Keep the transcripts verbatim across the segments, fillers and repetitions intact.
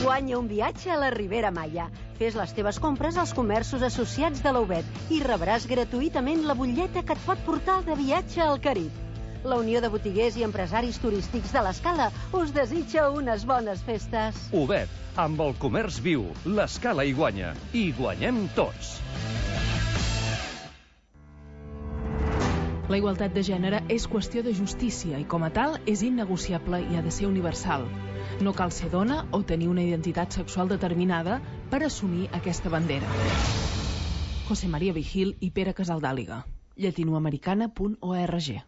Guanya un viatge a la Ribera Maya. Fes les teves compres als comerços associats de la U B E T i rebràs gratuïtament la butlleta que et pot portar de viatge al Carib. La Unió de Botiguers i Empresaris Turístics de l'Escala us desitja unes bones festes. U B E T, amb el comerç viu, l'Escala hi guanya. I guanyem tots. La igualtat de gènere és qüestió de justícia i, com a tal, és innegociable i ha de ser universal. No cal ser dona o tenir una identitat sexual determinada per assumir aquesta bandera. José María Vigil i Pere Casaldàliga. llatinoamericana punt org.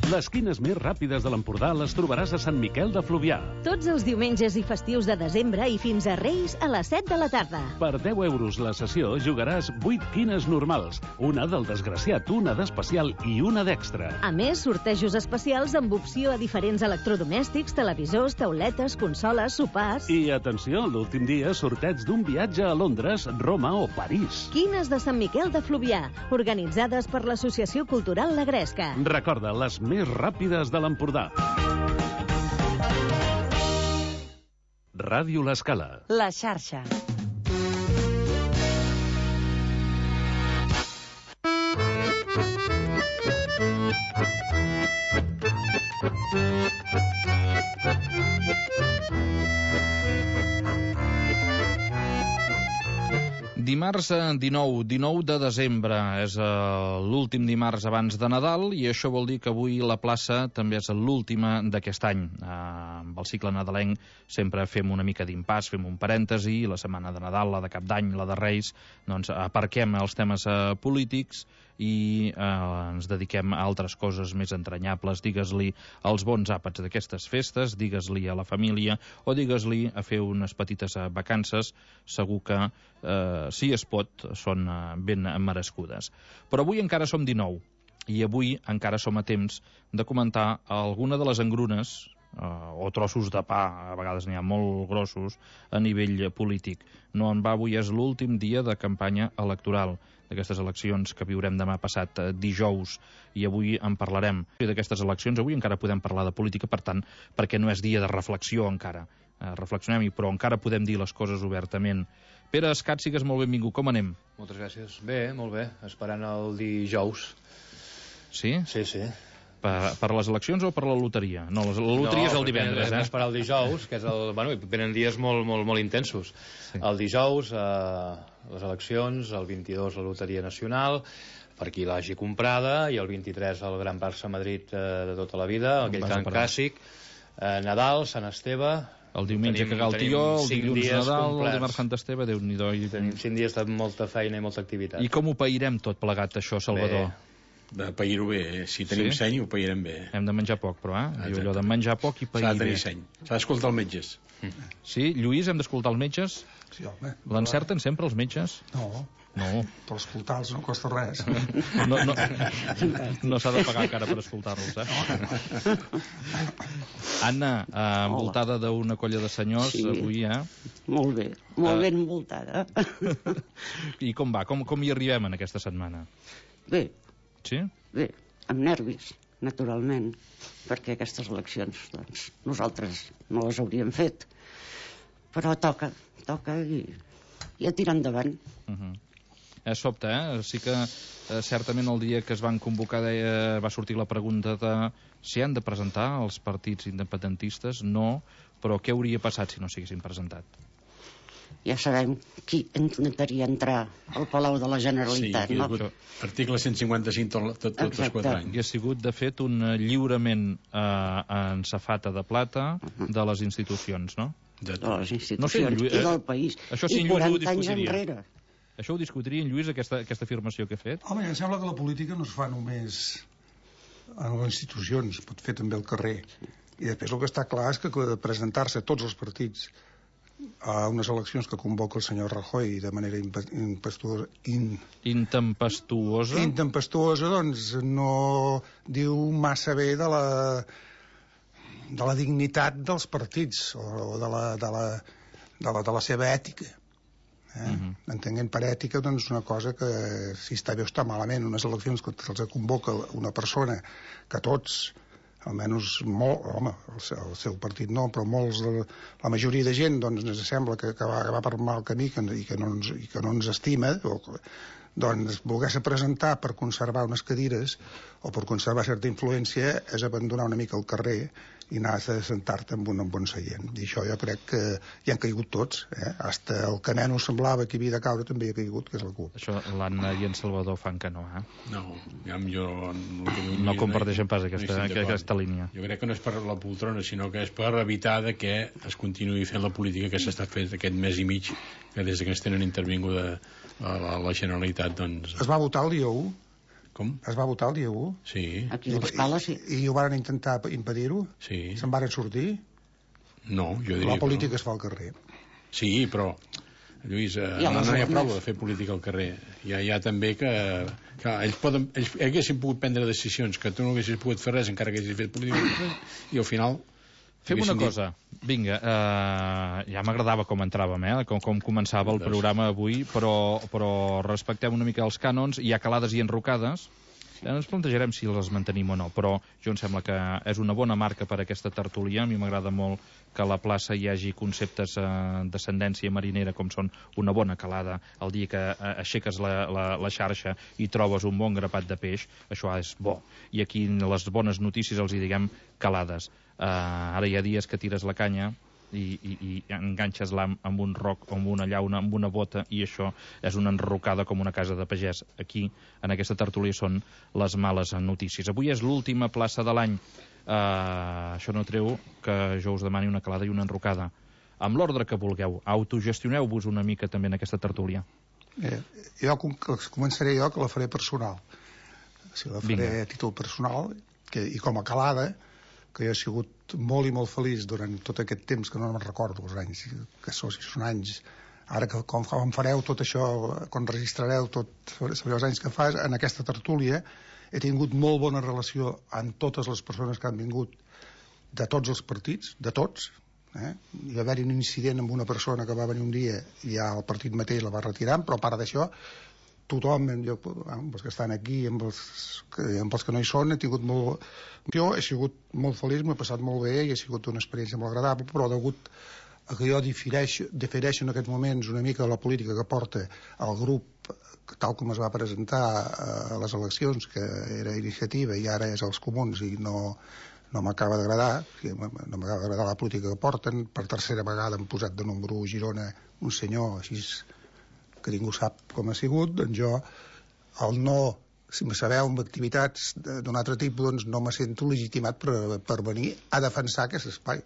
Les quines més ràpides de l'Empordà les trobaràs a Sant Miquel de Fluvià. Tots els diumenges i festius de desembre i fins a Reis a les set de la tarda. Per deu euros la sessió jugaràs vuit quines normals, una del desgraciat, una d'especial i una d'extra. A més, sortejos especials amb opció a diferents electrodomèstics, televisors, tauletes, consoles, sopars... I atenció, l'últim dia sorteig d'un viatge a Londres, Roma o París. Quines de Sant Miquel de Fluvià, organitzades per l'Associació Cultural La Gresca. Recorda, les més ràpides de l'Empordà. Ràdio L'Escala. La xarxa. Dimarts dinou, dinou de desembre, és uh, l'últim dimarts abans de Nadal i això vol dir que avui la plaça també és l'última d'aquest any. Uh, amb el cicle nadalenc sempre fem una mica d'impàs, fem un parèntesi, la setmana de Nadal, la de Cap d'Any, la de Reis, doncs aparquem els temes uh, polítics i eh, ens dediquem a altres coses més entranyables, digues-li als bons àpats d'aquestes festes, digues-li a la família o digues-li a fer unes petites eh, vacances, segur que eh, si es pot són eh, ben merescudes. Però avui encara som dinou i avui encara som a temps de comentar alguna de les engrunes Uh, o trossos de pa, a vegades n'hi ha molt grossos, a nivell polític. No en va, avui és l'últim dia de campanya electoral d'aquestes eleccions que viurem demà passat uh, dijous, i avui en parlarem. I d'aquestes eleccions avui encara podem parlar de política, per tant, perquè no és dia de reflexió encara. Uh, reflexionem-hi, però encara podem dir les coses obertament. Pere Escat, sigues molt benvingut. Com anem? Moltes gràcies. Bé, molt bé. Esperant el dijous. Sí? Sí, sí. Per, per les eleccions o per la loteria? No, la loteria no, és el divendres, eh? No, esperar el dijous, que és el... Bueno, venen dies molt, molt, molt intensos. Sí. El dijous, eh, les eleccions, el vint-i-dos la loteria nacional, per qui l'hagi comprada, i el vint-i-tres el Gran Barça Madrid eh, de tota la vida, aquell cant clàssic, eh, Nadal, Sant Esteve... El diumenge tenim, cagar el tió, el dilluns Nadal, complerts. El dimarts Sant Esteve, Déu-n'hi-do. I... Tenim cinc dies de molta feina i molta activitat. I com ho pairem tot plegat, això, Salvador? Bé. De pair-ho bé, eh? Si tenim sí? seny ho pairem bé. Hem de menjar poc, però, eh? Diu allò de menjar poc i pair bé. S'ha de tenir seny, s'ha d'escoltar els metges. Sí? Lluís, hem d'escoltar els metges? Sí, home. L'encerten sempre els metges? No. No. Per escoltar-los no costa res. No, no, no s'ha de pagar encara per escoltar-los, eh? Anna, eh, envoltada d'una colla de senyors, sí. Avui, eh? Molt bé, molt ben envoltada. I com va? Com, com hi arribem en aquesta setmana? Bé. Sí? Bé, amb nervis, naturalment, perquè aquestes eleccions, doncs, nosaltres no les hauríem fet. Però toca, toca i, i a tirar endavant. Uh-huh. És sobte, eh? Sí que eh, certament el dia que es van convocar deia, va sortir la pregunta de si han de presentar els partits independentistes. No, però què hauria passat si no s'haguessin presentat? Ja sabem qui intentaria entrar al Palau de la Generalitat, sí, no? Sí, article cent cinquanta-cinc tot, tot, tots els quatre anys. I ha sigut, de fet, un lliurament eh, en safata de plata uh-huh. de les institucions, no? De, de les institucions no sé, Lluís, i del país. Això sí, I quaranta anys enrere. Això ho discutiria en Lluís, aquesta, aquesta afirmació que ha fet? Home, em sembla que la política no es fa només en les institucions, es pot fer també al carrer. I després el que està clar és que presentar-se tots els partits a unes eleccions que convoca el senyor Rajoy de manera impetuosa in... intempestuosa intempestuosa, doncs no diu massa bé de la de la dignitat dels partits o de la, de la, de la, de la seva ètica, eh? Uh-huh. Entenent per ètica, doncs, una cosa que si està bé o està malament, unes eleccions que se'ls convoca una persona que tots almenys molt, home, el seu, el seu partit no, però molts de, la majoria de gent doncs ens sembla que, que, va, que va per mal camí que, i, que no ens, i que no ens estima, o, doncs voler-se presentar per conservar unes cadires o per conservar certa influència és abandonar una mica el carrer i anar a sentar-te en un, en un bon seient. I això jo crec que hi han caigut tots. Eh? Hasta el que menys semblava que havia de caure també hi ha caigut, que és la C U P. Això l'Anna i en Salvador fan que no, eh? No, ja jo... No, no comparteixen pas aquesta, no aquesta línia. Jo crec que no és per la poltrona, sinó que és per evitar de que es continuï fent la política que s'està fent aquest mes i mig, que des que ens tenen intervinguda a la, la Generalitat, doncs... Es va votar el dia u? Com? Es va votar el dia u? Sí. Aquí a l'Escala, sí. I, I ho van intentar impedir-ho? Sí. Se'n van sortir? No, jo diria la política que no. Es fa al carrer. Sí, però, Lluís, eh, ja no, no hi ha prou de fer política al carrer. Hi ha, hi ha també que... que ells, poden, ells haguessin pogut prendre decisions que tu no haguessis pogut fer res encara que haguessis fet política al carrer, i al final... Fem una cosa, vinga, eh, ja m'agradava com entràvem, eh, com, com començava el programa avui, però, però respectem una mica els cànons, hi ha calades i enrocades, ja ens plantejarem si les mantenim o no, però jo em sembla que és una bona marca per a aquesta tertúlia. A mi m'agrada molt que a la plaça hi hagi conceptes eh, d'ascendència marinera com són una bona calada, el dia que eh, aixeques la, la, la xarxa i trobes un bon grapat de peix, això és bo. I aquí les bones notícies els hi diguem calades. Uh, ara hi ha dies que tires la canya i, i, i enganxes l'am amb un roc, amb una llauna, amb una bota, i això és una enrocada com una casa de pagès. Aquí, en aquesta tertúlia, són les males notícies. Avui és l'última plaça de l'any. Uh, això no treu que jo us demani una calada i una enrocada. Amb l'ordre que vulgueu, autogestioneu-vos una mica també en aquesta tertúlia. Eh, jo començaré jo, que la faré personal. Si la faré Vinga. A títol personal, que, i com a calada, que jo he sigut molt i molt feliç durant tot aquest temps, que no me'n recordo els anys, que són, si són anys, ara que com, com fareu tot això, quan registrareu tot, sabreu els anys que fas, en aquesta tertúlia he tingut molt bona relació amb totes les persones que han vingut de tots els partits, de tots, eh? Hi va haver un incident amb una persona que va venir un dia i ja el partit mateix la va retirar, però a part d'això tothom, jo, amb els que estan aquí, amb els que, amb els que no hi són, he tingut molt... Jo he sigut molt feliç, m'he passat molt bé i ha sigut una experiència molt agradable, però degut a que jo difereixo, difereixo en aquests moments una mica de la política que porta el grup tal com es va presentar a les eleccions, que era Iniciativa i ara és els Comuns, i no, no m'acaba d'agradar, no m'acaba d'agradar la política que porten. Per tercera vegada han posat de número u Girona un senyor així que ningú sap com ha sigut, doncs jo, el no, si me sabeu amb activitats d'un altre tipus, doncs no me sento legitimat per, per venir a defensar aquest espai.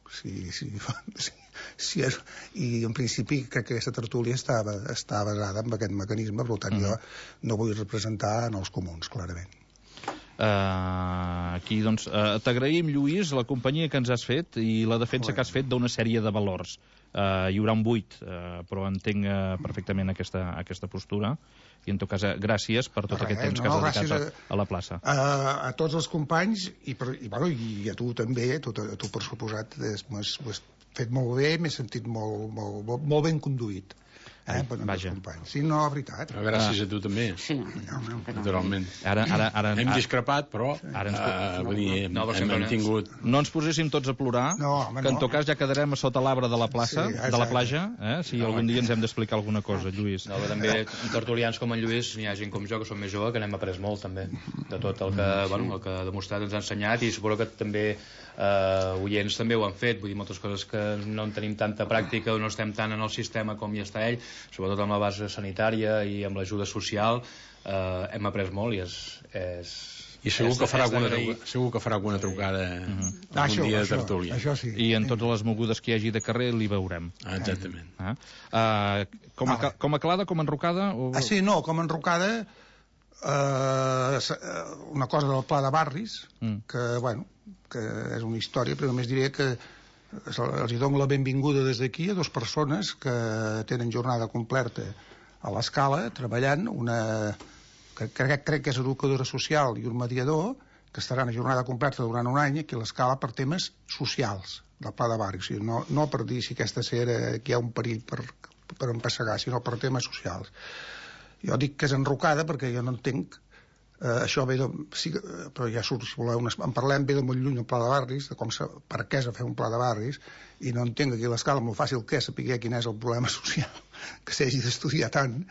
Sí, sí, sí, sí, és, i en principi crec que aquesta tertúlia està, està basada en aquest mecanisme, per tant, uh-huh. jo no vull representar en els comuns, clarament. Uh, aquí, doncs, uh, t'agraïm, Lluís, la companyia que ens has fet i la defensa bueno. que has fet d'una sèrie de valors. Uh, hi haurà un buit, uh, però entenc uh, perfectament aquesta, aquesta postura, i en tot cas, uh, gràcies per tot Res, aquest temps no, que has dedicat a, a la plaça. A, a tots els companys, i, per, i, bueno, i a tu també, a tu, a tu per suposat, ho has fet molt bé, m'he sentit molt, molt, molt, molt ben conduït. Eh, per Vaja. Sí, no, veritat. Però gràcies ah. a tu també. Sí. Naturalment. Ara, ara, ara, hem discrepat, però ara ens... uh, vull dir, hem, no, hem mantingut... No ens poséssim tots a plorar, no, home, que en no. tot cas ja quedarem a sota l'arbre de la plaça, sí, de la platja, eh? Si no, algun dia ens hem d'explicar alguna cosa, Lluís. No, també tertulians com en Lluís, n'hi ha gent com jo, que som més jove, que n'hem après molt, també, de tot el que, bueno, el que ha demostrat ens ha ensenyat, i suposo que també eh, oients també ho han fet, vull dir, moltes coses que no en tenim tanta pràctica o no estem tant en el sistema com hi està ell, sobretot amb la base sanitària i amb l'ajuda social, eh, hem après molt i és... és I segur, és, que farà alguna, segur que farà alguna trucada uh-huh. algun això, dia de això, tertúlia. Això sí. I en totes les mogudes que hi hagi de carrer li veurem. Ah, exactament. Ah. Uh, com, a, ah, com a calada, com a enrocada? O... Ah, sí, no, com a enrocada, uh, una cosa del pla de barris, mm. que, bueno, que és una història, però només diré que els hi dono la benvinguda des d'aquí a dues persones que tenen jornada completa a l'Escala, treballant, una que crec, crec que és educadora social i un mediador, que estaran a jornada completa durant un any aquí a l'Escala per temes socials del pla de barri, o sigui, no, no per dir si aquesta sera aquí hi ha un perill per, per empassegar, sinó per temes socials. Jo dic que és enrocada perquè jo no entenc Uh, això ve de... Sí, però ja surt, si voleu, en parlem, ve de molt lluny el pla de barris, de com se, per què s'ha de fer un pla de barris, i no entenc aquí l'escala amb el fàcil que és saber quin és el problema social que s'hagi d'estudiar tant,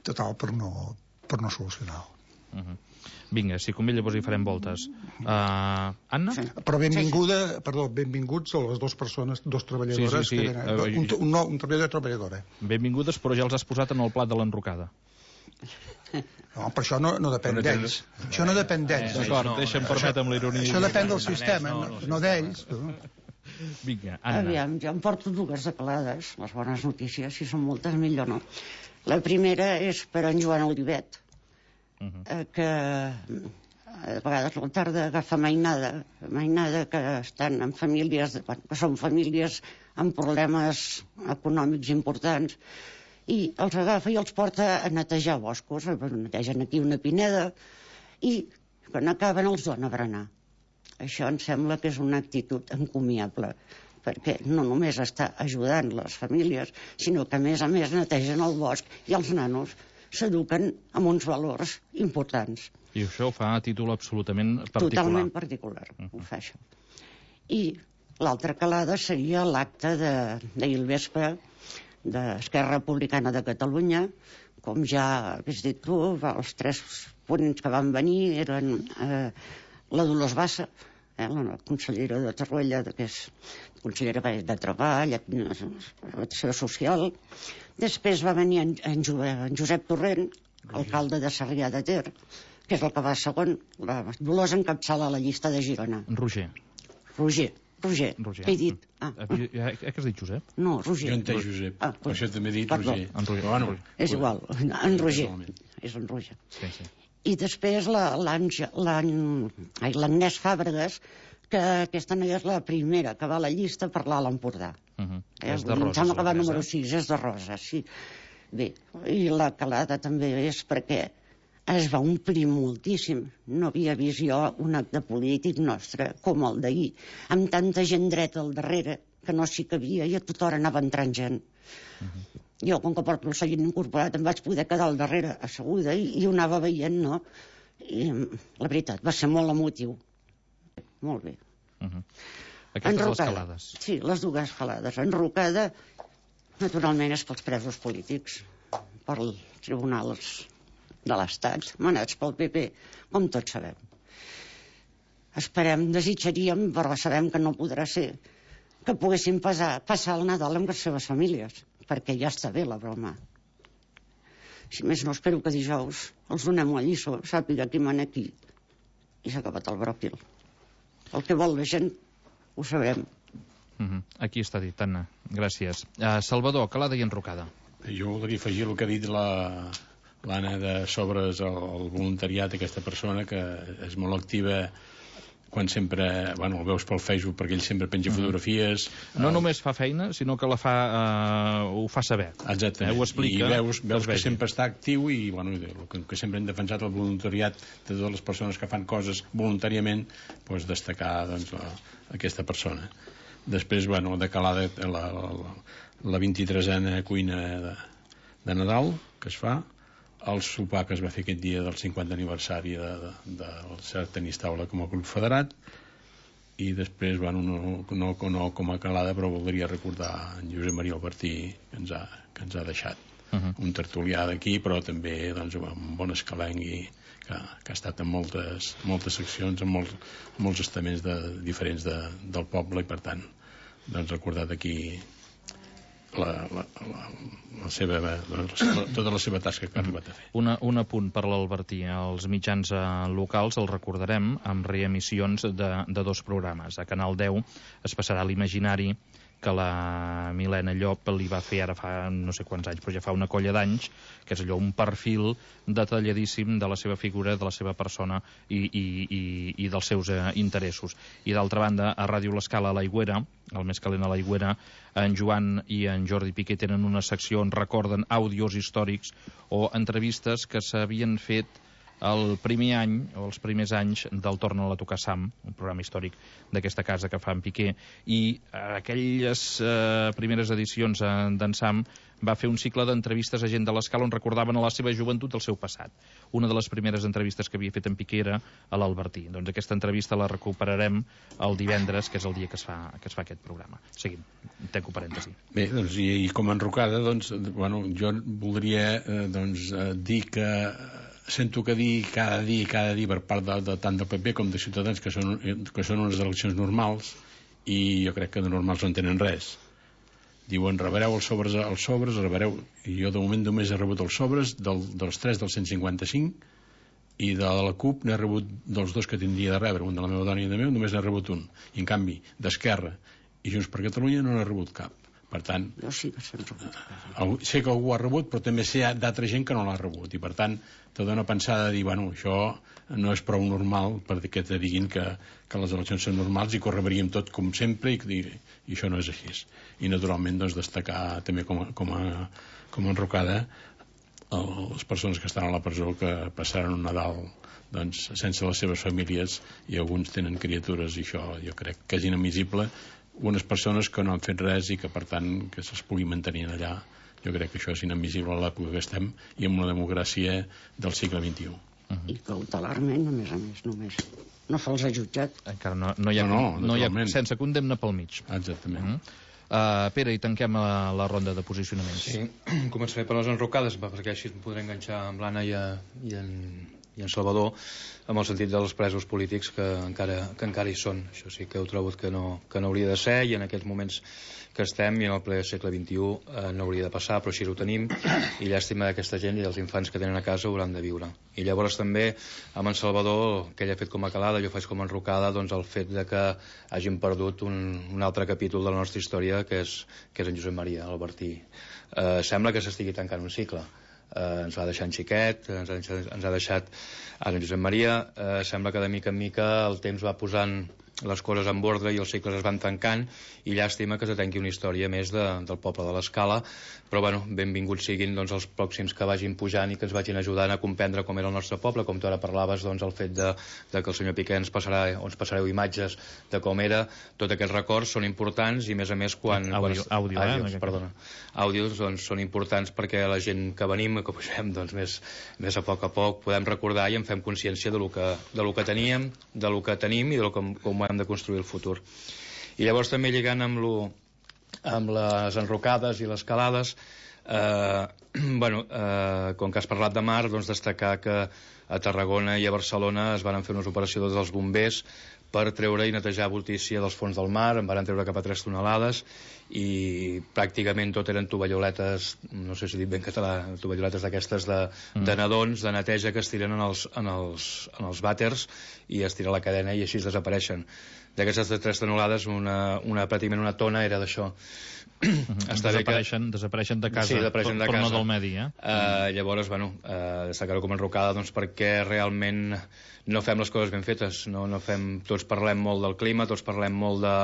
total, per no, per no solucionar-ho. Uh -huh. Vinga, si convé llavors hi farem voltes. Uh, Anna? Sí. Però benvinguda, perdó, benvinguts a les dues persones, dos treballadores, sí, sí, sí. Que venen, un, un, no, un treballador i treballadora. Benvingudes, però ja els has posat en el plat de l'enrocada. No, però això no, no depèn d'ells. Això no depèn d'ells. D'acord, deixa'm permetre amb l'ironia. Això depèn del sistema, no, no d'ells. Vinga, Anna. Aviam, jo em porto dues declarades, les bones notícies, si són moltes, millor no. La primera és per en Joan Olivet, uh -huh. que a vegades la tarda agafa mainada, mainada que estan en famílies, que són famílies amb problemes econòmics importants, i els agafa i els porta a netejar boscos, netegen aquí una pineda, i quan acaben els dona a berenar. Això em sembla que és una actitud encomiable, perquè no només està ajudant les famílies, sinó que a més a més netegen el bosc i els nanos s'eduquen amb uns valors importants. I això ho fa a títol absolutament particular. Totalment particular, uh -huh. ho fa això. I l'altra calada seria l'acte d'ahir al vespre d'Esquerra Republicana de Catalunya. Com ja has dit tu, els tres ponents que van venir eren eh, la Dolors Bassa, eh, la consellera de Torroella, que és consellera de Treball, Acció Social. Després va venir en, en, jo, en Josep Torrent, alcalde de Sarrià de Ter, que és el que va segon. La Dolors encapçala la llista de Girona. Roger. Roger. Roger, Roger. he dit. Ah. Eh, què has dit, Josep? No, Roger. Jo entenc Josep, ah, per això també he dit perdó. Roger. En Roger. Bueno, és igual, en Roger. És en Roger. Sí, sí. I després l'Agnès Fàbregas, que aquesta no és la primera que va a la llista per l'Alt Empordà. Uh -huh. eh, És de Roses. Em sembla que va número sis, és de Roses, sí. Bé, i la calada també és perquè es va omplir moltíssim. No havia vist jo un acte polític nostre com el d'ahir, amb tanta gent dreta al darrere que no s'hi cabia i a tota hora anava entrant gent. Uh -huh. Jo, com que porto el seguit incorporat, em vaig poder quedar al darrere asseguda i, i ho anava veient, no? I la veritat, va ser molt emotiu. Molt bé. Uh -huh. Aquestes les calades. Sí, les dues calades. Enrocada, naturalment, és pels presos polítics, pels tribunals de l'Estat, manats pel P P, com tots sabem. Esperem, desitjaríem, però sabem que no podrà ser, que poguessin passar, passar el Nadal amb les seves famílies, perquè ja està bé la broma. Si més no, espero que dijous els donem la lliçó, sàpiga qui mana aquí, i s'ha acabat el bròquil. El que vol la gent, ho sabrem. Uh -huh. Aquí està dit, Anna. Gràcies. Uh, Salvador, calada i enrocada. Jo voldria afegir el que ha dit la... l'Anna de sobres el voluntariat, aquesta persona que és molt activa quan sempre, bueno, el veus pel Facebook perquè ell sempre penja fotografies. No el... només fa feina, sinó que la fa, uh, ho fa saber. Exactament. Eh, ho explica. I veus, veus que sempre està actiu i, bueno, que, que sempre hem defensat el voluntariat de totes les persones que fan coses voluntàriament, doncs destacar doncs, la, aquesta persona. Després, bueno, de calada la, la, la vint-i-tresena cuina de, de Nadal que es fa, el sopar que es va fer aquest dia del cinquanta aniversari del de, de Cert Tenis Taula com a club federat, i després, bueno, no, no, no com a calada, però voldria recordar en Josep Maria Albertí, que ens ha, que ens ha deixat. Uh -huh. Un tertulià d'aquí, però també doncs, un bon escalengui que, que ha estat en moltes, moltes seccions, en molts, molts estaments de, diferents de, del poble, i per tant doncs, recordar d'aquí La, la, la, la seva, la, la, tota la seva tasca que ha arribat a fer. Una, un apunt per l'Albertí. Els mitjans eh, locals els recordarem amb reemissions de, de dos programes. A Canal deu es passarà l'Imaginari, que la Milena Llop li va fer ara fa no sé quants anys, però ja fa una colla d'anys, que és allò, un perfil detalladíssim de la seva figura, de la seva persona i, i, i, i dels seus eh, interessos. I d'altra banda, a Ràdio L'Escala, a l'Aigüera, el més calent a l'Aigüera, en Joan i en Jordi Piqué tenen una secció on recorden àudios històrics o entrevistes que s'havien fet el primer any, o els primers anys del Torna'l a tocar Sam, un programa històric d'aquesta casa que fa en Piqué, i aquelles eh, primeres edicions eh, d'en Sam va fer un cicle d'entrevistes a gent de l'Escala on recordaven a la seva joventut el seu passat. Una de les primeres entrevistes que havia fet en Piqué era a l'Albertí. Doncs aquesta entrevista la recuperarem el divendres, que és el dia que es fa, que es fa aquest programa. Seguim, tanco parèntesi. Bé, doncs, i, i com a enrocada, doncs, bueno, jo voldria eh, doncs, eh, dir que sento que dir cada dia i cada dia per part de, de tant del P P com de Ciutadans que són, que són unes eleccions normals, i jo crec que de normals no en tenen res. Diuen, rebreu els sobres, els sobres, rebreu... I jo de moment només he rebut els sobres del, dels tres del cent cinquanta-cinc, i de la CUP n'he rebut dels dos que tindria de rebre, un de la meva dona i de meu, només n'he rebut un. I en canvi, d'Esquerra i Junts per Catalunya no n'he rebut cap. Per tant, jo sí que s'han rebut. Sé que algú ha rebut, però també sé d'altra gent que no l'ha rebut, i per tant te dona pensada de dir, bueno, això no és prou normal perquè te diguin que, que les eleccions són normals i que ho rebríem tot com sempre, i, i això no és així. I naturalment doncs, destacar també com a, com a, com a enrocada el, les persones que estan a la presó, que passaran un Nadal doncs, sense les seves famílies, i alguns tenen criatures, i això jo crec que és inadmissible. Unes persones que no han fet res i que per tant que se'ls pugui mantenir allà, jo crec que això és inadmissible a l'època que estem i amb una democràcia del segle vint-i-u. Uh-huh. I cautelarment, a més a més, només no se'ls ha jutjat. Encara no, no hi ha, no, no, no hi ha sense condemna pel mig. Exactament. Uh-huh. Uh, Pere, i tanquem la, la ronda de posicionaments. Sí, començaré per les enrocades, perquè així em podré enganxar amb l'Anna i, a, i, en, i en Salvador, amb el sentit dels presos polítics que encara, que encara hi són. Això sí que heu trobat que no, que no hauria de ser, i en aquests moments que estem, i en el ple segle vint-i-u, eh, no hauria de passar, però així ho tenim, i llàstima d'aquesta gent i dels infants que tenen a casa hauran de viure. I llavors també, amb en Salvador, que ell ha fet com a calada, jo faig com a enrocada, doncs el fet de que hàgim perdut un, un altre capítol de la nostra història, que és, que és en Josep Maria Albertí. Eh, sembla que s'estigui tancant un cicle. Eh, ens va deixar en xiquet, ens ha, ens ha deixat ara en Josep Maria, eh, sembla que de mica en mica el temps va posant les coses en ordre i els cicles es van tancant, i llàstima que se tanqui una història més de, del poble de l'Escala, però bueno, benvinguts siguin doncs, els pròxims que vagin pujant i que ens vagin ajudant a comprendre com era el nostre poble, com tu ara parlaves, doncs, el fet de, de que el senyor Piqué ens passarà, o ens passareu imatges de com era, tots aquests records són importants, i a més a més quan... Àudio, quan, àudio, àudios, eh? Perdona. Àudios doncs, són importants perquè la gent que venim, que pugem doncs, més, més a poc a poc, podem recordar i en fem consciència de lo que, de lo que teníem, de lo que tenim i de lo que, com hem de construir el futur. I llavors també lligant amb, lo, amb les enrocades i les calades, eh, bueno, eh, com que has parlat de mar, doncs destacar que a Tarragona i a Barcelona es van fer unes operacions dels bombers per treure i netejar voltícia dels fons del mar, en van treure cap a tres tonelades, i pràcticament tot eren tovalloletes, no sé si dic ben català, tovalloletes d'aquestes de, mm. de nadons, de neteja, que es tiren en els, en els, en els vàters i es tira la cadena i així desapareixen. D'aquestes de tres tonelades, una, una, pràcticament una tona era d'això. Mm-hmm. Desapareixen, que... desapareixen de casa, sí, desapareixen de però casa. No del medi, eh? Uh, llavors, bueno, uh, destacar-ho com a enrocada, doncs perquè realment no fem les coses ben fetes, no, no fem, tots parlem molt del clima, tots parlem molt de,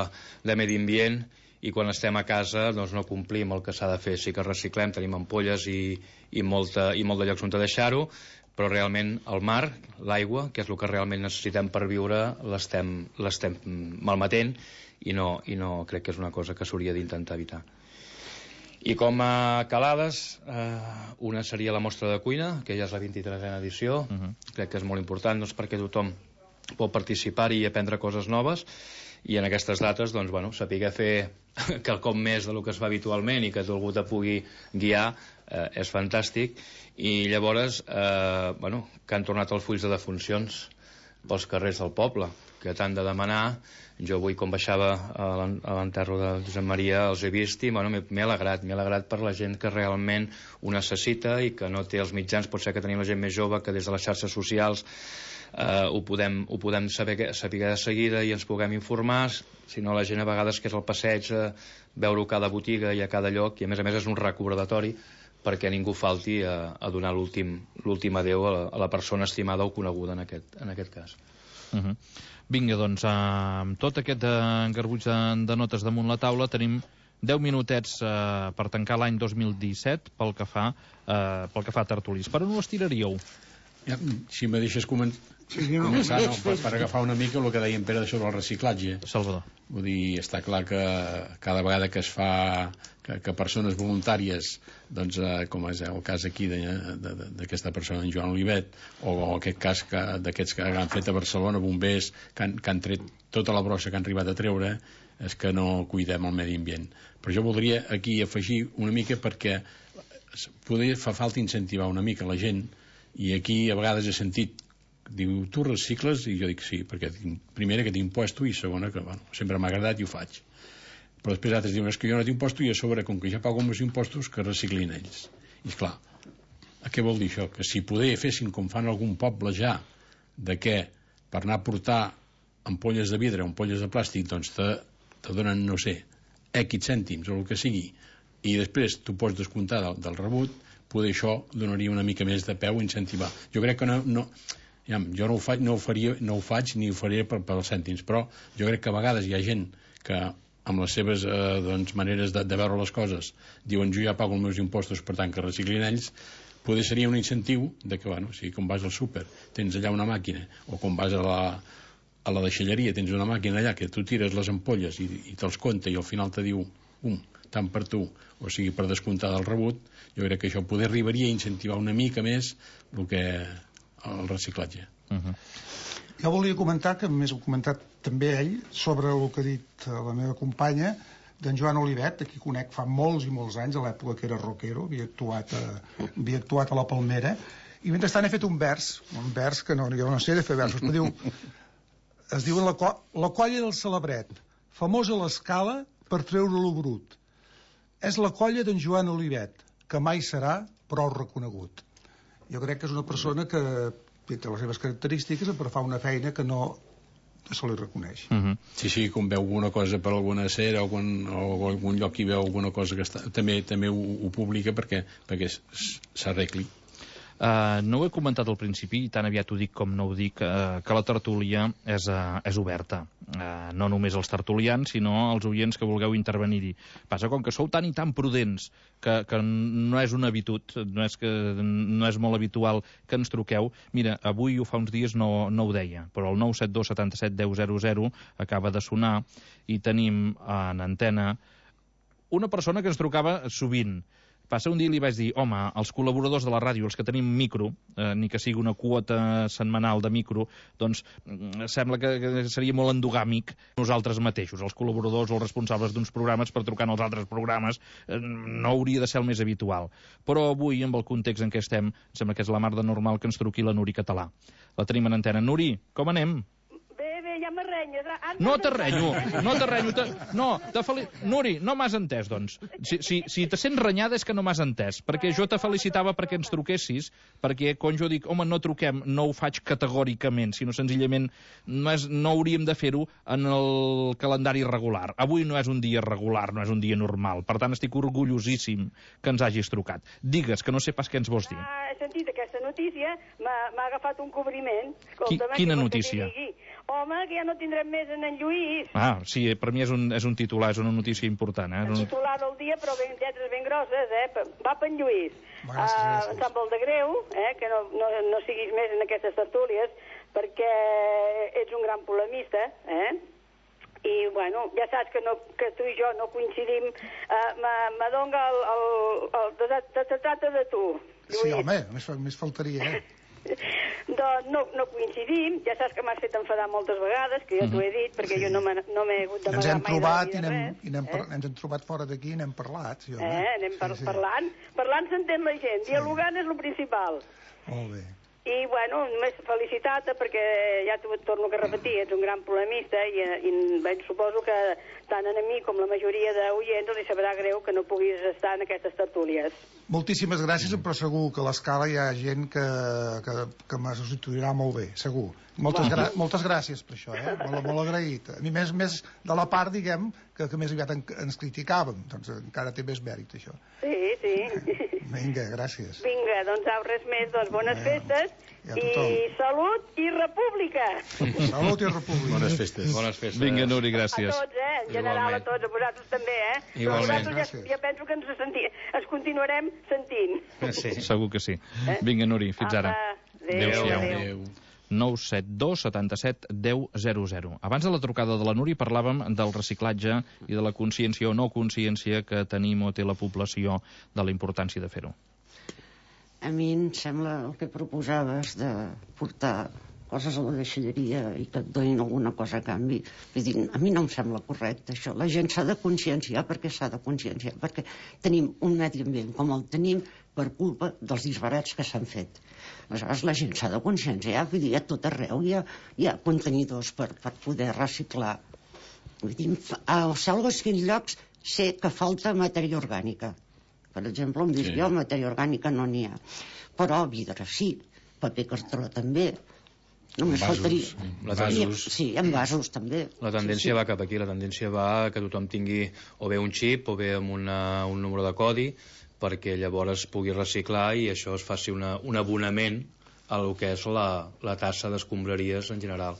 de medi ambient, i quan estem a casa doncs no complim el que s'ha de fer. Sí que reciclem, tenim ampolles i, i, molta, i molt de llocs on deixar-ho, però realment el mar, l'aigua, que és el que realment necessitem per viure, l'estem malmetent, i no, i no crec que és una cosa que s'hauria d'intentar evitar. I com a calades, eh, una seria la mostra de cuina, que ja és la vint-i-tresena edició. Uh-huh. Crec que és molt important doncs, perquè tothom pot participar-hi i aprendre coses noves, i en aquestes dates doncs, bueno, saber fer quelcom més del que es fa habitualment i que algú te pugui guiar eh, és fantàstic. I llavors eh, bueno, que han tornat els fulls de defuncions pels carrers del poble, que t'han de demanar. Jo avui, com baixava a l'enterro de Josep Maria, els he vist i bueno, m'he alegrat, m'he alegrat per la gent que realment ho necessita i que no té els mitjans. Pot ser que tenim la gent més jove que des de les xarxes socials eh, ho podem, ho podem saber, saber de seguida i ens puguem informar. Si no, la gent a vegades que és al passeig, eh, veure-ho a cada botiga i a cada lloc, i a més a més és un recordatori perquè ningú falti a, a donar l'últim adeu a la, a la persona estimada o coneguda en aquest, en aquest cas. Uh-huh. Vinga, doncs, amb tot aquest garbuix de, de notes damunt la taula, tenim deu minutets eh, per tancar l'any dos mil disset pel que fa, eh, pel que fa a tertulis. Per on ho estiraríeu? Ja, si me deixes començar, sí, no, començar no, per, per agafar una mica el que deia en Pere sobre el reciclatge. Salvador. Vull dir, està clar que cada vegada que es fa que, que persones voluntàries, doncs, eh, com és el cas aquí d'aquesta persona, en Joan Olivet, o, o aquest cas d'aquests que han fet a Barcelona, bombers, que han, que han tret tota la brossa que han arribat a treure, és que no cuidem el medi ambient. Però jo voldria aquí afegir una mica, perquè poder fa falta incentivar una mica la gent, i aquí a vegades he sentit, diu, tu recicles? I jo dic sí, perquè primera que t'impuesto i segona que, bueno, sempre m'ha agradat i ho faig. Però després altres diuen, és que jo no t'imposto i a sobre, com que ja pago els impostos, que reciclin ells. I esclar, què vol dir això? Que si poder fessin com fan algun poble ja, de què per anar a portar ampolles de vidre o ampolles de plàstic, doncs te, te donen, no sé, X cèntims o el que sigui, i després tu pots descomptar del, del rebut, poder això donaria una mica més de peu a incentivar. Jo crec que no, no ja, jo no ho faig, no ho faria, no ho faig ni ho faria per, per als cèntims, però jo crec que a vegades hi ha gent que amb les seves eh, doncs, maneres de, de veure les coses diuen jo ja pago els meus impostos, per tant que reciclin ells, poder seria un incentiu de que, bueno, si com vas al súper tens allà una màquina, o com vas a la, a la deixalleria tens una màquina allà que tu tires les ampolles i, i te'ls compta i al final te diu um, tant per tu, o sigui per descomptar del rebut, jo crec que això poder arribaria a incentivar una mica més el que el reciclatge. Uh-huh. Jo volia comentar, que més ho ha comentat també ell, sobre el que ha dit la meva companya, d'en Joan Olivet, a qui conec fa molts i molts anys, a l'època que era rockero, havia actuat a, havia actuat a la Palmera, i mentrestant he fet un vers, un vers que no, jo no sé de fer versos, però diu, es diu la, co la colla del Celebret, famosa a l'escala per treure-lo brut. És la colla d'en Joan Olivet, que mai serà prou reconegut. Jo crec que és una persona que té les seves característiques, però fa una feina que no se li reconeix. Uh-huh. Sí, sí, quan veu alguna cosa per alguna cera o, quan, o algun lloc hi veu alguna cosa que està, també també ho, ho publica perquè, perquè s'arregli. Uh, no ho he comentat al principi, i tan aviat ho dic com no ho dic, uh, que la tertúlia és, uh, és oberta. Uh, no només als tertulians, sinó als oients que vulgueu intervenir-hi. Passa, com que sou tan i tan prudents que, que no és una habitud, no és, que, no és molt habitual que ens truqueu. Mira, avui o fa uns dies no, no ho deia, però el nou set dos setanta-set deu zero zero acaba de sonar i tenim en antena una persona que ens trucava sovint. Passa, un dia li vaig dir, home, els col·laboradors de la ràdio, els que tenim micro, eh, ni que sigui una quota setmanal de micro, doncs sembla que, que seria molt endogàmic nosaltres mateixos, els col·laboradors o els responsables d'uns programes per trucar en els altres programes, eh, no hauria de ser el més habitual. Però avui, amb el context en què estem, sembla que és la mar de normal que ens truqui la Nuri Català. La tenim en antena. Nuri, com anem? Ja m'arrenyes. No t'arrenyo, no t'arrenyo. No, te Nuri, no m'has entès, doncs. Si, si, si te sents renyada és que no m'has entès, perquè jo te felicitava perquè ens truquessis, perquè quan jo dic, home, no truquem, no ho faig categòricament, sinó senzillament no, és, no hauríem de fer-ho en el calendari regular. Avui no és un dia regular, no és un dia normal, per tant estic orgullosíssim que ens hagis trucat. Digues, que no sé pas què ens vols dir. Ah, he sentit aquesta notícia, m'ha agafat un cobriment. Qui, quina notícia? Home, que ja no tindrem més en en Lluís. Ah, sí, per mi és un, és un titular, és una notícia important. Eh? Un titular del dia, però ben lletres ben grosses, eh? Va per en Lluís. Gràcies, gràcies. Em sap molt de greu, eh? Que no, no, no siguis més en aquestes tertúlies, perquè ets un gran polemista, eh? I, bueno, ja saps que, no, que tu i jo no coincidim. Uh, M'adonga el... el, el, el se trata de tu, Lluís. Sí, home, més, més faltaria, eh? Doncs no, no coincidim, ja saps que m'has fet enfadar moltes vegades, que jo t'ho he dit, perquè sí. Jo no m'he no hagut d'amagar mai. Ens hem trobat i anem, i anem, eh? Ens hem trobat fora d'aquí i n'hem parlat. Sí, eh? Anem par sí, sí. parlant, parlant s'entén la gent, sí. Dialogant és el principal. Molt bé. I, bueno, només felicitar-te perquè ja t'ho torno a repetir, ets un gran polemista i, i bé, suposo que tant a mi com la majoria d'oients els sabrà greu que no puguis estar en aquestes tertúlies. Moltíssimes gràcies, però segur que a l'escala hi ha gent que, que, que me substituirà molt bé, segur. Moltes, gra moltes gràcies per això, eh? Molt, molt agraït. A mi més, més de la part, diguem, que, que més aviat en, ens criticàvem, doncs encara té més mèrit, això. Sí, sí. Vinga, gràcies. Vinga, doncs au, res més, doncs bones eh, festes i salut i república. Salut i república. Bones festes. Bones festes. Vinga, Nuri, gràcies. A tots, eh? En general, a tots, a vosaltres també, eh? Igualment. Vosaltres ja, ja penso que ens, senti ens continuarem sentint. Sí. Segur que sí. Eh? Vinga, Nuri, fins ara. Apa. Adéu-siau. nou set dos setanta-set deu zero zero. Abans de la trucada de la Núria parlàvem del reciclatge i de la consciència o no consciència que tenim o té la població de la importància de fer-ho. A mi em sembla el que proposaves de portar coses a la deixalleria i que et donin alguna cosa a canvi. Vull dir, a mi no em sembla correcte això. La gent s'ha de conscienciar perquè s'ha de conscienciar, perquè tenim un medi ambient com el tenim per culpa dels disbarats que s'han fet. Aleshores, la gent s'ha de conscienciar, vull dir, a tot arreu hi ha, hi ha contenidors per, per poder reciclar. Vull dir, a alguns llocs sé que falta matèria orgànica. Per exemple, on visc sí. jo, matèria orgànica no n'hi ha. Però vidre sí, paper cartró també. Només vasos, faltaria... sí. La vasos. Sí, en vasos també. La tendència sí, sí. va cap aquí, la tendència va que tothom tingui o bé un xip o bé amb una, un número de codi perquè llavors pugui reciclar i això es faci una, un abonament a lo que és la, la tassa d'escombraries en general.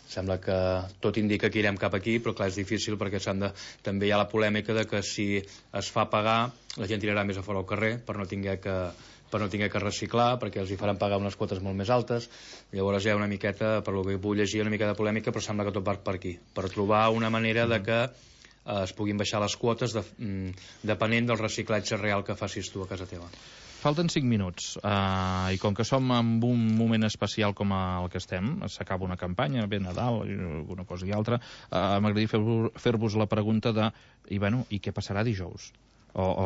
Sembla que tot indica que irem cap aquí, però clar, és difícil perquè s'han de... també hi ha la polèmica de que si es fa pagar la gent tirarà més a fora al carrer per no tinguer que per no tinguer que reciclar, perquè els hi faran pagar unes quotes molt més altes. Llavors hi ha una miqueta, per lo que vull llegir, una mica de polèmica, però sembla que tot va per aquí, per trobar una manera de que eh, es puguin baixar les quotes de, mm, depenent del reciclatge real que facis tu a casa teva. Falten cinc minuts, uh, i com que som en un moment especial com el que estem, s'acaba una campanya, ve Nadal, alguna cosa i altra, uh, m'agradaria fer-vos fer la pregunta de, i, bueno, i què passarà dijous? O, o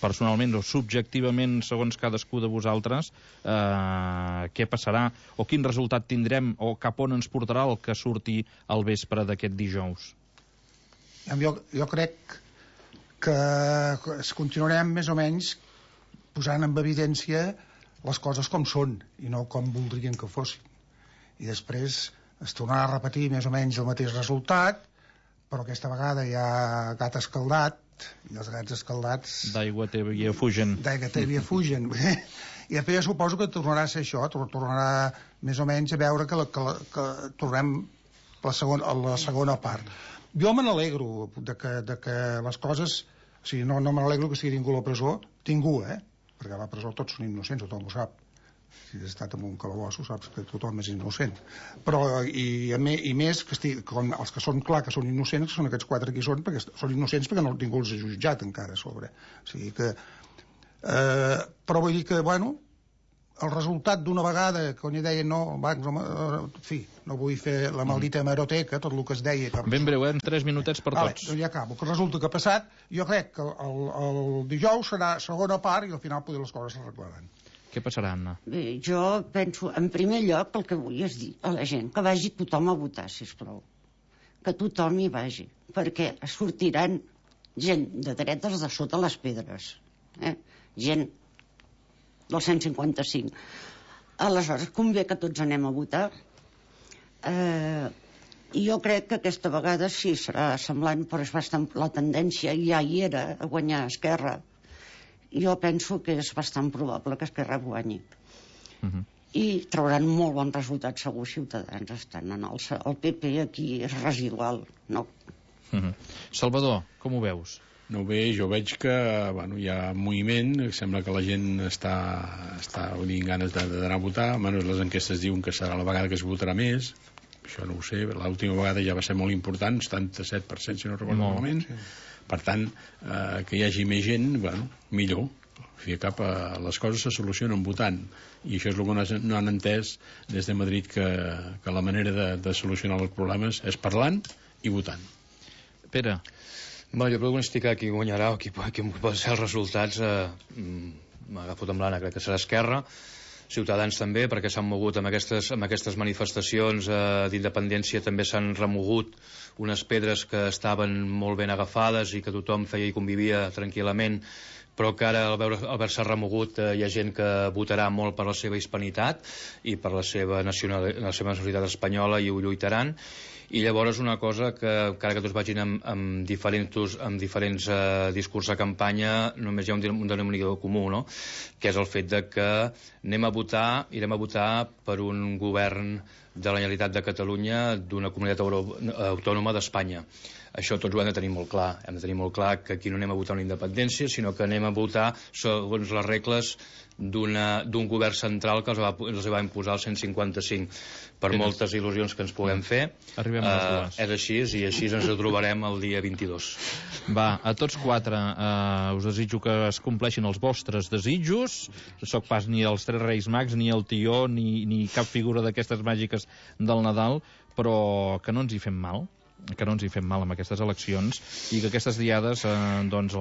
personalment o subjectivament, segons cadascú de vosaltres, eh, què passarà o quin resultat tindrem o cap on ens portarà el que surti al vespre d'aquest dijous? Jo, jo crec que continuarem més o menys posant en evidència les coses com són i no com voldrien que fossin. I després es tornarà a repetir més o menys el mateix resultat, però aquesta vegada hi ha gat escaldat i els gats escaldats d'aigua tèbia fugen d'aigua tèbia fugen i després suposo que tornarà a ser això, tornarà més o menys a veure que, la, que, la, que tornem la segona, a la segona part. Jo me n'alegro de, que, de que les coses, o sigui, no, no me n'alegro que estigui ningú a la presó, ningú, eh? Perquè a la presó tots són innocents, tothom ho sap. Si has estat en un calabosso saps que tothom és innocent, però i, i més que estigui, com els que són clar que són innocents, que són aquests quatre que hi són, perquè són innocents perquè no ningú els ha jutjat encara a sobre, o sigui que eh, però vull dir que bueno, el resultat d'una vegada quan hi deien no, va, no, en fi, no vull fer la maldita hemeroteca, tot el que es deia que... ben breu, eh? En tres minutets per vale, tots. Doncs ja acabo, que resulta que ha passat, jo crec que el, el dijous serà segona part i al final poder les coses s'arreglaran. Què passarà, Anna? Bé, jo penso, en primer lloc, el que vull és dir a la gent que vagi tothom a votar, sisplau. Que tothom hi vagi, perquè sortiran gent de dretes de sota les pedres. Eh? Gent del cent cinquanta-cinc. Aleshores, convé que tots anem a votar. Eh, jo crec que aquesta vegada sí serà semblant, però és bastant la tendència, ja hi era, a guanyar Esquerra. Jo penso que és bastant probable que Esquerra guanyi. Uh-huh. I trauran molt bon resultat segur Ciutadans estan en el, el P P aquí és residual, no? Uh-huh. Salvador, com ho veus? No bé, jo veig que bueno, hi ha moviment, sembla que la gent està, està dient ganes d'anar a votar, almenys les enquestes diuen que serà la vegada que es votarà més, això no ho sé, l'última vegada ja va ser molt important, setanta-set per cent si no recordo malament. Sí. Per tant, eh, que hi hagi més gent, bueno, millor. O sigui, cap a les coses se solucionen votant. I això és el que no han entès des de Madrid, que, que la manera de, de solucionar els problemes és parlant i votant. Pere? Bueno, jo pronosticar qui guanyarà o qui, qui poden ser els resultats, eh, m'ha agafat amb l'Anna, crec que serà Esquerra. Ciutadans també, perquè s'han mogut amb aquestes, amb aquestes manifestacions eh, d'independència, també s'han remogut unes pedres que estaven molt ben agafades i que tothom feia i convivia tranquil·lament, però que ara al veure, al haver-se remogut eh, hi ha gent que votarà molt per la seva hispanitat i per la seva, nacional, la seva nacionalitat espanyola i ho lluitaran. I llavors una cosa que encara que tots vagin amb, amb diferents, amb diferents eh, discurs de campanya, només hi ha un, un denominador comú, no? Que és el fet de que anem a votar, irem a votar per un govern de la Generalitat de Catalunya d'una comunitat euro, autònoma d'Espanya. Això tots ho hem de tenir molt clar. Hem de tenir molt clar que aquí no anem a votar una independència, sinó que anem a votar segons les regles d'un govern central que els va, els va imposar el cent cinquanta-cinc. Per Tens. moltes il·lusions que ens puguem fer, Arribem a les dues. eh, és així, i així ens ho trobarem el dia vint-i-dos. Va, a tots quatre eh, us desitjo que es compleixin els vostres desitjos. No soc pas ni els Tres Reis Mags, ni el Tió, ni, ni cap figura d'aquestes màgiques del Nadal, però que no ens hi fem mal, que no ens hi fem mal amb aquestes eleccions, i que aquestes diades, eh, doncs,